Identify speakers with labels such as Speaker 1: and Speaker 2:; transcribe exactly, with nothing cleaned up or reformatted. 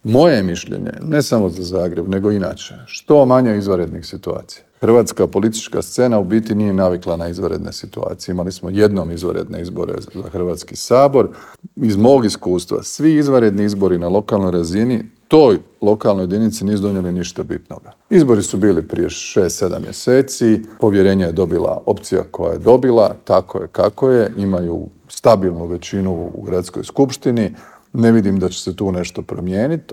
Speaker 1: Moje je mišljenje, ne samo za Zagreb, nego inače, što manje izvanrednih situacija. Hrvatska politička scena u biti nije navikla na izvanredne situacije. Imali smo jednom izvanredne izbore za Hrvatski sabor. Iz mog iskustva, svi izvanredni izbori na lokalnoj razini toj lokalnoj jedinici nisu donijeli ništa bitnoga. Izbori su bili prije šest sedam mjeseci, povjerenje je dobila opcija koja je dobila, tako je kako je, imaju stabilnu većinu u gradskoj skupštini, ne vidim da će se tu nešto promijeniti.